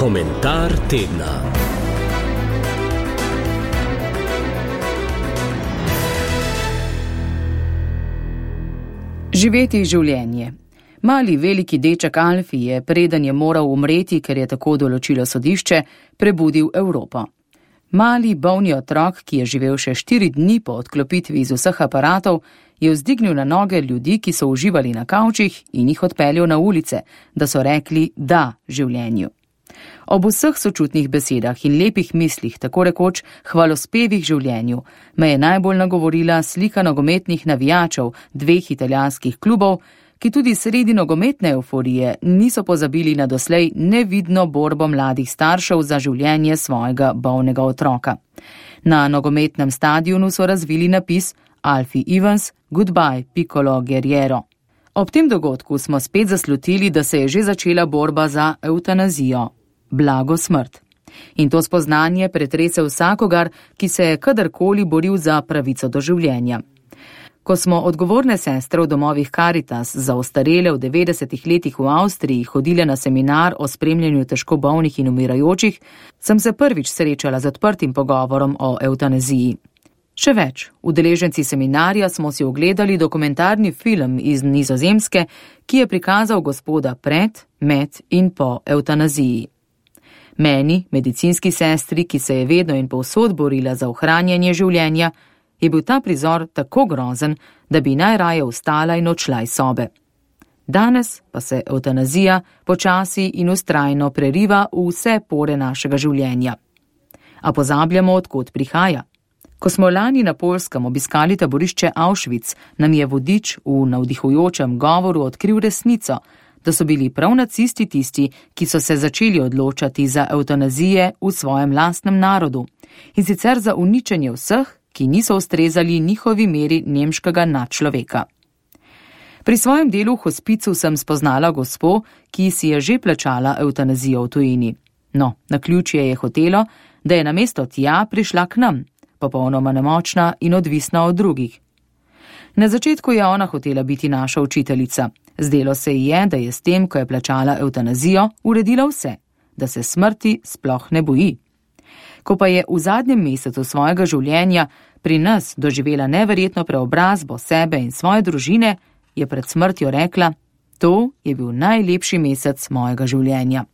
Komentar tedna. Živeti življenje. Mali veliki deček Alfi je, preden je moral umreti, ker je tako določilo sodišče, prebudil Evropo. Mali bolni otrok, ki je živel še 4 dni po odklopitvi iz vseh aparatov, je vzdignil na noge ljudi, ki so uživali na kavčih, in jih odpeljal na ulice, da so rekli da življenju. Ob vseh sočutnih besedah in lepih mislih, tako rekoč hvalospevih življenju, me je najbolj nagovorila slika nogometnih navijačev 2 italijanskih klubov, ki tudi sredi nogometne evforije niso pozabili na doslej nevidno borbo mladih staršev za življenje svojega bolnega otroka. Na nogometnem stadionu so razvili napis Alfie Evans, goodbye Piccolo Guerriero. Ob tem dogodku smo spet zaslutili, da se je že začela borba za evtanazijo, blago smrt. In to spoznanje pretrese vsakogar, ki se je kadarkoli boril za pravico do življenja. Ko smo odgovorne sestre v domovih Caritas za ostarele v 90. letih v Avstriji hodile na seminar o spremljanju težko bolnih in umirajočih, sem se prvič srečala z odprtim pogovorom o evtanaziji. Še več, udeleženci seminarja smo si ogledali dokumentarni film iz Nizozemske, ki je prikazal gospoda pred, med in po evtanaziji. Meni, medicinski sestri, ki se je vedno in povsod borila za ohranjanje življenja, je bil ta prizor tako grozen, da bi najraje vstala in odšla iz sobe. Danes pa se evtanazija počasi in vztrajno preriva v vse pore našega življenja. A pozabljamo, od kod prihaja. Ko smo lani na Poljskem obiskali taborišče Auschwitz, nam je vodič v navdihujočem govoru odkril resnico, da so bili prav nacisti tisti, ki so se začeli odločati za evtanazije v svojem lastnem narodu, in sicer za uničenje vseh, ki niso ustrezali njihovi meri nemškega nadčloveka. Pri svojem delu v hospicu sem spoznala gospo, ki si je že plačala evtanazijo v tujini. No, naključje je hotelo, da je namesto tja prišla k nam, popolnoma nemočna in odvisna od drugih. Na začetku je ona hotela biti naša učiteljica. Zdelo se ji je, da je s tem, ko je plačala evtanazijo, uredila vse, da se smrti sploh ne boji. Ko pa je v zadnjem mesecu svojega življenja pri nas doživela neverjetno preobrazbo sebe in svoje družine, je pred smrtjo rekla, to je bil najlepši mesec mojega življenja.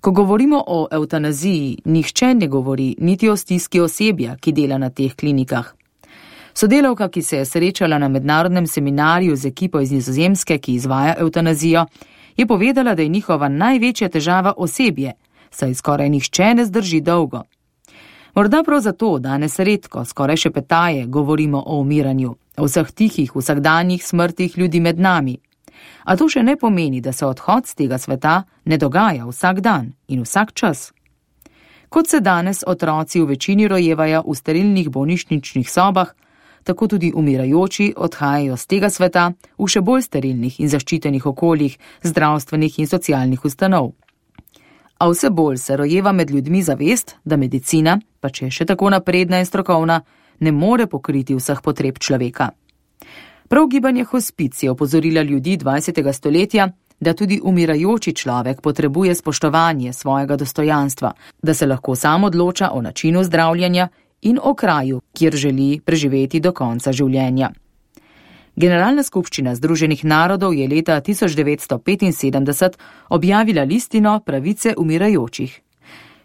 Ko govorimo o evtanaziji, nihče ne govori niti o stiski osebja, ki dela na teh klinikah. Sodelavka, ki se je srečala na mednarodnem seminarju z ekipo iz Nizozemske, ki izvaja evtanazijo, je povedala, da je njihova največja težava osebje, saj skoraj nihče ne zdrži dolgo. Morda prav zato danes redko, skoraj šepetaje, govorimo o umiranju, o vseh tihih, vsakdanjih smrtih ljudi med nami. A to še ne pomeni, da se odhod z tega sveta ne dogaja vsak dan in vsak čas. Kot se danes otroci v večini rojevajo v sterilnih bolnišničnih sobah, tako tudi umirajoči odhajajo z tega sveta v še bolj sterilnih in zaščitenih okoljih, zdravstvenih in socialnih ustanov. A vse bolj se rojeva med ljudmi zavest, da medicina, pa če je še tako napredna in strokovna, ne more pokriti vseh potreb človeka. Prav gibanje hospic je opozorila ljudi 20. stoletja, da tudi umirajoči človek potrebuje spoštovanje svojega dostojanstva, da se lahko sam odloča o načinu zdravljenja in o kraju, kjer želi preživeti do konca življenja. Generalna skupščina Združenih narodov je leta 1975 objavila listino pravice umirajočih.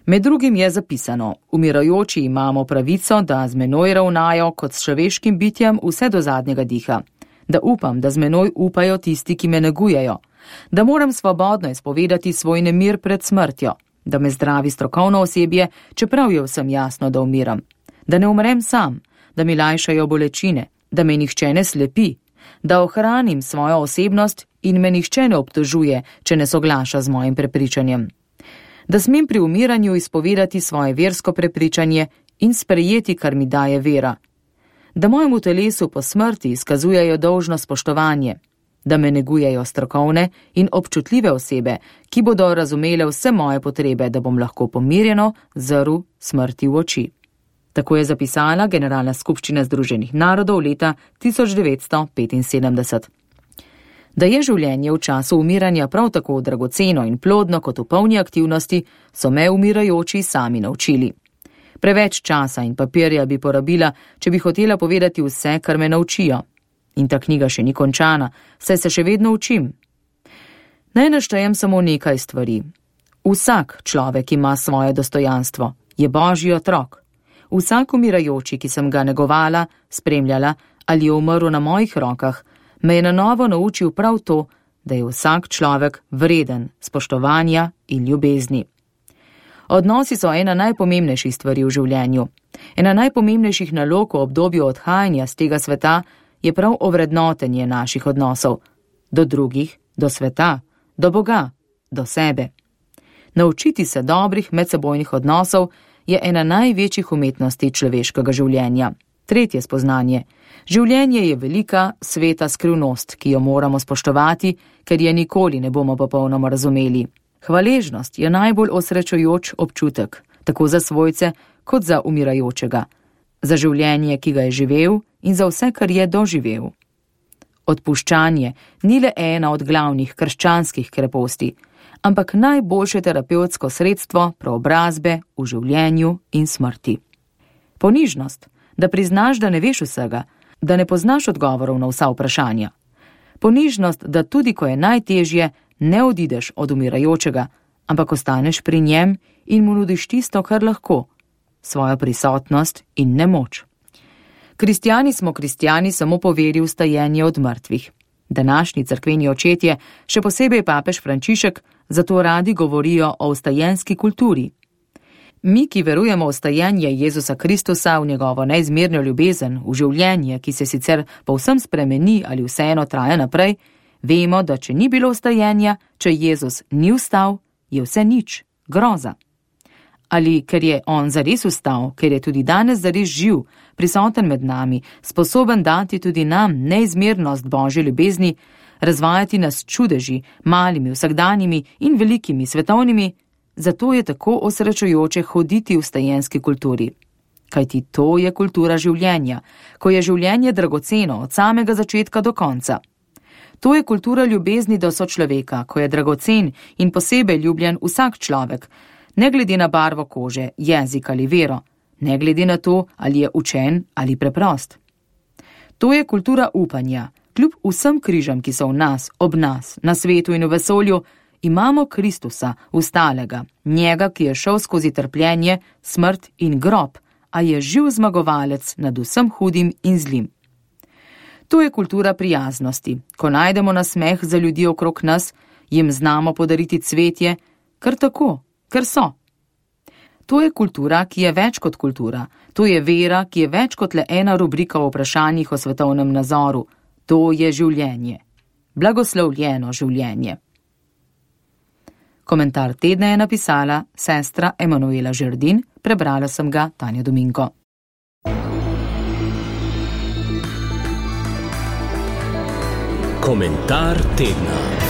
Med drugim je zapisano, umirajoči imamo pravico, da z menoj ravnajo kot s človeškim bitjem vse do zadnjega diha, da upam, da z menoj upajo tisti, ki me negujejo, da moram svobodno izpovedati svoj nemir pred smrtjo, da me zdravi strokovno osebje, čeprav je vsem jasno, da umiram, da ne umrem sam, da mi lajšajo bolečine, da me nihče ne slepi, da ohranim svojo osebnost in me nihče ne obtožuje, če ne soglaša z mojim prepričanjem. Da smem pri umiranju izpovedati svoje versko prepričanje in sprejeti, kar mi daje vera. Da mojemu telesu po smrti izkazujejo dolžno spoštovanje, da me negujejo strokovne in občutljive osebe, ki bodo razumele vse moje potrebe, da bom lahko pomirjeno zrl smrti v oči. Tako je zapisala Generalna skupščina Združenih narodov leta 1975. Da je življenje v času umiranja prav tako dragoceno in plodno kot v polni aktivnosti, so me umirajoči sami naučili. Preveč časa in papirja bi porabila, če bi hotela povedati vse, kar me naučijo. In ta knjiga še ni končana, saj se še vedno učim. Naj naštejem samo nekaj stvari. Vsak človek ima svoje dostojanstvo, je Božji otrok. Vsak umirajoči, ki sem ga negovala, spremljala ali je umrl na mojih rokah, me je na novo naučil prav to, da je vsak človek vreden spoštovanja in ljubezni. Odnosi so ena najpomembnejših stvari v življenju. Ena najpomembnejših nalog v obdobju odhajanja z tega sveta je prav ovrednotenje naših odnosov. Do drugih, do sveta, do Boga, do sebe. Naučiti se dobrih medsebojnih odnosov je ena največjih umetnosti človeškega življenja. Tretje spoznanje. Življenje je velika, sveta skrivnost, ki jo moramo spoštovati, ker je nikoli ne bomo popolnoma razumeli. Hvaležnost je najbolj osrečujoč občutek, tako za svojce kot za umirajočega. Za življenje, ki ga je živel in za vse, kar je doživel. Odpuščanje ni le ena od glavnih krščanskih kreposti, ampak najboljše terapevtsko sredstvo preobrazbe v življenju in smrti. Ponižnost, da priznaš, da ne veš vsega, da ne poznaš odgovorov na vsa vprašanja. Ponižnost, da tudi ko je najtežje, ne odideš od umirajočega, ampak ostaneš pri njem in mu nudiš tisto, kar lahko, svojo prisotnost in nemoč. Kristjani smo kristjani samo po veri v stajenje od mrtvih. Današnji cerkveni očetje, še posebej papež Frančišek, zato radi govorijo o vstajenski kulturi. Mi, ki verujemo v stajenje Jezusa Kristusa, v njegovo neizmerno ljubezen, v življenje, ki se sicer povsem spremeni ali vseeno traja naprej, vemo, da če ni bilo vstajenja, če Jezus ni vstal, je vse nič, groza. Ali ker je on zares vstal, ker je tudi danes zares živ, prisoten med nami, sposoben dati tudi nam neizmernost Božje ljubezni, razvajati nas čudeži, malimi, vsakdanjimi in velikimi svetovnimi, zato je tako osrečujoče hoditi v vstajenski kulturi. Kajti to je kultura življenja, ko je življenje dragoceno od samega začetka do konca. To je kultura ljubezni do sočloveka, ko je dragocen in posebej ljubljen vsak človek, ne glede na barvo kože, jezik ali vero, ne glede na to, ali je učen ali preprost. To je kultura upanja. Kljub vsem križem, ki so v nas, ob nas, na svetu in v vesolju, imamo Kristusa, vstalega, njega, ki je šel skozi trpljenje, smrt in grob, a je živ zmagovalec nad vsem hudim in zlim. To je kultura prijaznosti, ko najdemo nasmeh za ljudi okrog nas, jim znamo podariti cvetje, kar tako, ker so. To je kultura, ki je več kot kultura, to je vera, ki je več kot le ena rubrika o vprašanjih o svetovnem nazoru, to je življenje. Blagoslovljeno življenje. Komentar tedna je napisala sestra Emanuela Žerdin, prebrala sem ga Tanja Dominko. Komentar tedna.